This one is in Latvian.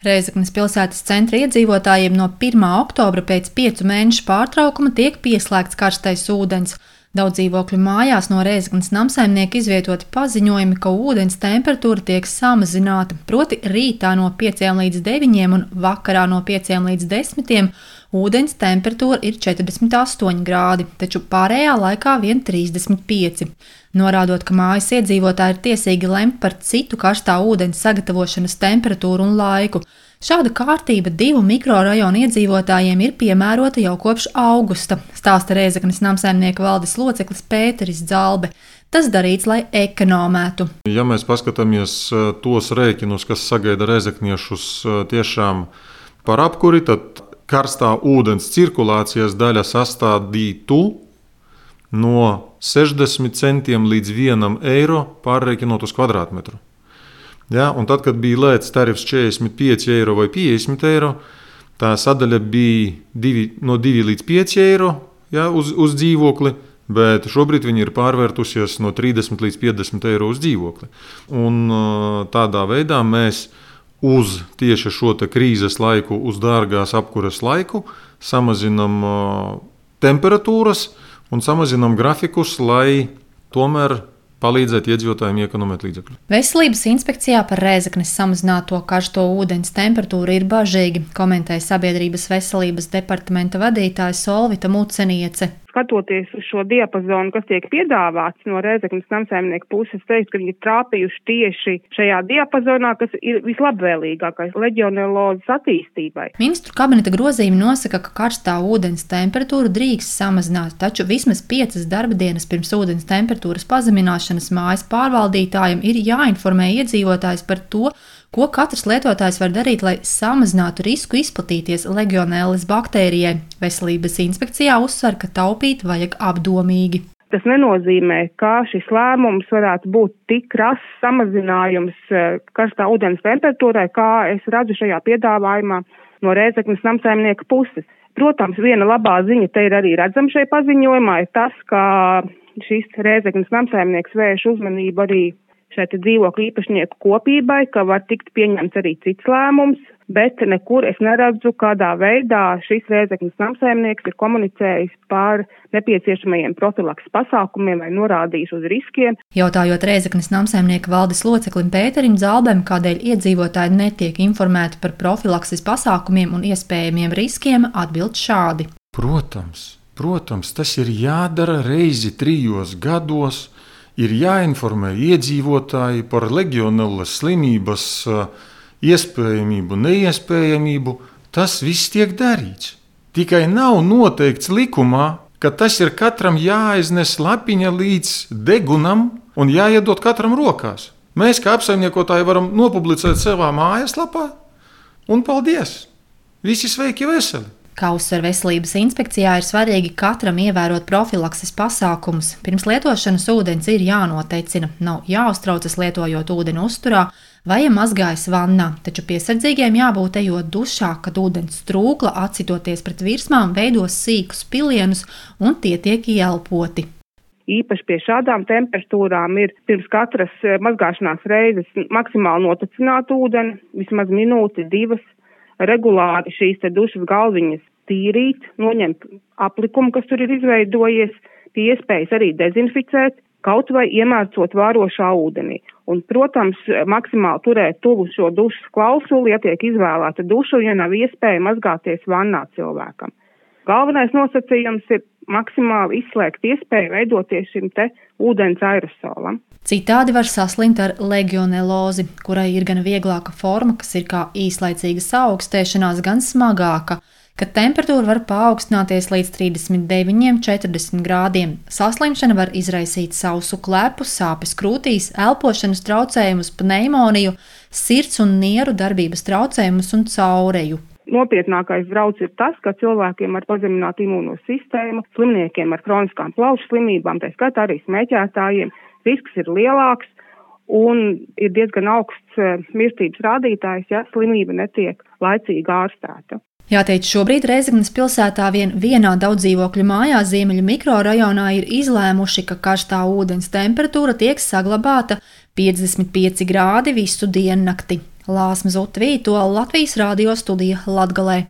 Rēzeknes pilsētas centra iedzīvotājiem no 1. oktobra pēc 5 mēnešu pārtraukuma tiek pieslēgts karstais ūdens. Daudz dzīvokļu mājās no Rēzeknes namsaimnieka izvietoti paziņojumi, ka ūdens temperatūra tiek samazināta, proti rītā no 5 līdz 9 un vakarā no 5 līdz 10 ūdens temperatūra ir 48 grādi, taču pārējā laikā vien 35. Norādot, ka mājas iedzīvotāji ir tiesīgi lemt par citu karstā ūdens sagatavošanas temperatūru un laiku. Šāda kārtība 2 mikrorajonu iedzīvotājiem ir piemērota jau kopš augusta, stāsta Rēzeknes namsaimnieka valdes loceklis Pēteris Dzalbe. Tas darīts, lai ekonomētu. Ja mēs paskatāmies tos rēķinus, kas sagaida rēzekniešus tiešām par apkuri, tad karstā ūdens cirkulācijas daļa sastādītu no 60 centiem līdz 1 eiro pārreikinot uz kvadrātmetru. Ja, un tad, kad bija lēts tarifs 45 eiro vai 50 eiro, tā sadaļa bija no 2 līdz 5 eiro uz dzīvokli, bet šobrīd viņi ir pārvērtusies no 30 līdz 50 eiro uz dzīvokli. Un tādā veidā mēs uz tieši šo krīzes laiku, uz dārgās apkures laiku, samazinam temperatūras un samazinam grafikus, lai tomēr palīdzēt iedzīvotājiem iekonomēt līdzekļus. Veselības inspekcijā par Rēzeknes samazināto karsto ūdens temperatūru ir bažīgi, komentēja Sabiedrības veselības departamenta vadītāja Solvita Muceniece. Skatoties uz šo diapazonu, kas tiek piedāvāts no Rēzeknes namsaimnieka puses, teikt, ka viņi ir trāpījuši tieši šajā diapazonā, kas ir vislabvēlīgākais leģionelozes attīstībai. Ministru kabineta grozījumi nosaka, ka karstā ūdens temperatūru drīkst samazināt, taču vismaz 5 darba dienas pirms ūdens temperatūras pazemināšanas mājas pārvaldītājiem ir jāinformē iedzīvotājs par to, ko katrs lietotājs var darīt, lai samazinātu risku izplatīties legionēlas baktērijai. Veselības inspekcijā uzsver, ka taupīt vajag apdomīgi. Tas nenozīmē, ka šis lēmums varētu būt tik krass samazinājums karstā ūdens temperatūrai, kā es redzu šajā piedāvājumā no Rēzeknes namsaimnieka puses. Protams, viena labā ziņa te ir arī redzama šajā paziņojumā, ir tas, ka šis Rēzeknes namsaimnieks vērš uzmanību arī šai dzīvokļu īpašnieku kopībai, ka var tikt pieņemts arī cits lēmums, bet nekur es neredzu, kādā veidā šis Rēzeknes namsaimnieks ir komunicējis par nepieciešamajiem profilakses pasākumiem vai norādījis uz riskiem. Jautājot Rēzeknes namsaimnieka valdes loceklim Pēterim Dzalbem, kādēļ iedzīvotāji netiek informēti par profilakses pasākumiem un iespējamiem riskiem, atbild šādi. Protams, tas ir jādara reizi 3 gados. Ir jāinformē iedzīvotāji par legionellas slimības iespējamību, neiespējamību. Tas viss tiek darīts. Tikai nav noteikts likumā, ka tas ir katram jāiznes lapiņa līdz degunam un jāiedod katram rokās. Mēs kā apsaimniekotāji varam nopublicēt savā mājaslapā un paldies! Visi sveiki veseli! Kā uzsver veselības inspekcijā, ir svarīgi katram ievērot profilakses pasākumus. Pirms lietošanas ūdens ir jānoteicina, nav jāuztraucas lietojot ūdeni uzturā vai mazgājas vannā, taču piesardzīgiem jābūt ejot dušā, kad ūdens trūkla atsitoties pret virsmām veidos sīkus pilienus un tie tiek ieelpoti. Īpaši pie šādām temperatūrām ir pirms katras mazgāšanās reizes maksimāli notecināt ūdeni, vismaz minūti, 2. Regulāri šīs dušas galviņas tīrīt, noņemt aplikumu, kas tur ir izveidojies, pie iespējas arī dezinficēt, kaut vai iemērcot vārošā ūdenī. Un, protams, maksimāli turēt tuvu šo dušas klausuli, ja tiek izvēlēta duša, ja nav iespēja mazgāties vannā cilvēkam. Galvenais nosacījums ir maksimāli izslēgt iespēju veidoties šim ūdens aerosolam. Citādi var saslimt ar legionelozi, kurai ir gan vieglāka forma, kas ir kā īslaicīga saaugstēšanās, gan smagāka, kad temperatūra var paaugstināties līdz 39–40 grādiem. Saslimšana var izraisīt sausu klepu, sāpes krūtīs, elpošanas traucējumus, pneimoniju, sirds un nieru darbības traucējumus un caureju. Nopietnākais drauds ir tas, ka cilvēkiem ar pazeminātu imūno sistēmu, slimniekiem ar kroniskām plaušu slimībām, tā skaitā arī smēķētājiem, risks ir lielāks un ir diezgan augsts mirstības rādītājs, ja slimība netiek laicīgi ārstēta. Jāteic, šobrīd Rēzeknes pilsētā vienā daudzdzīvokļu mājā Ziemeļu mikrorajonā ir izlēmuši, ka karstā ūdens temperatūra tiek saglabāta 55 grādi visu diennakti. Lāsma Zuta Vītola, Latvijas radio studija Latgalē.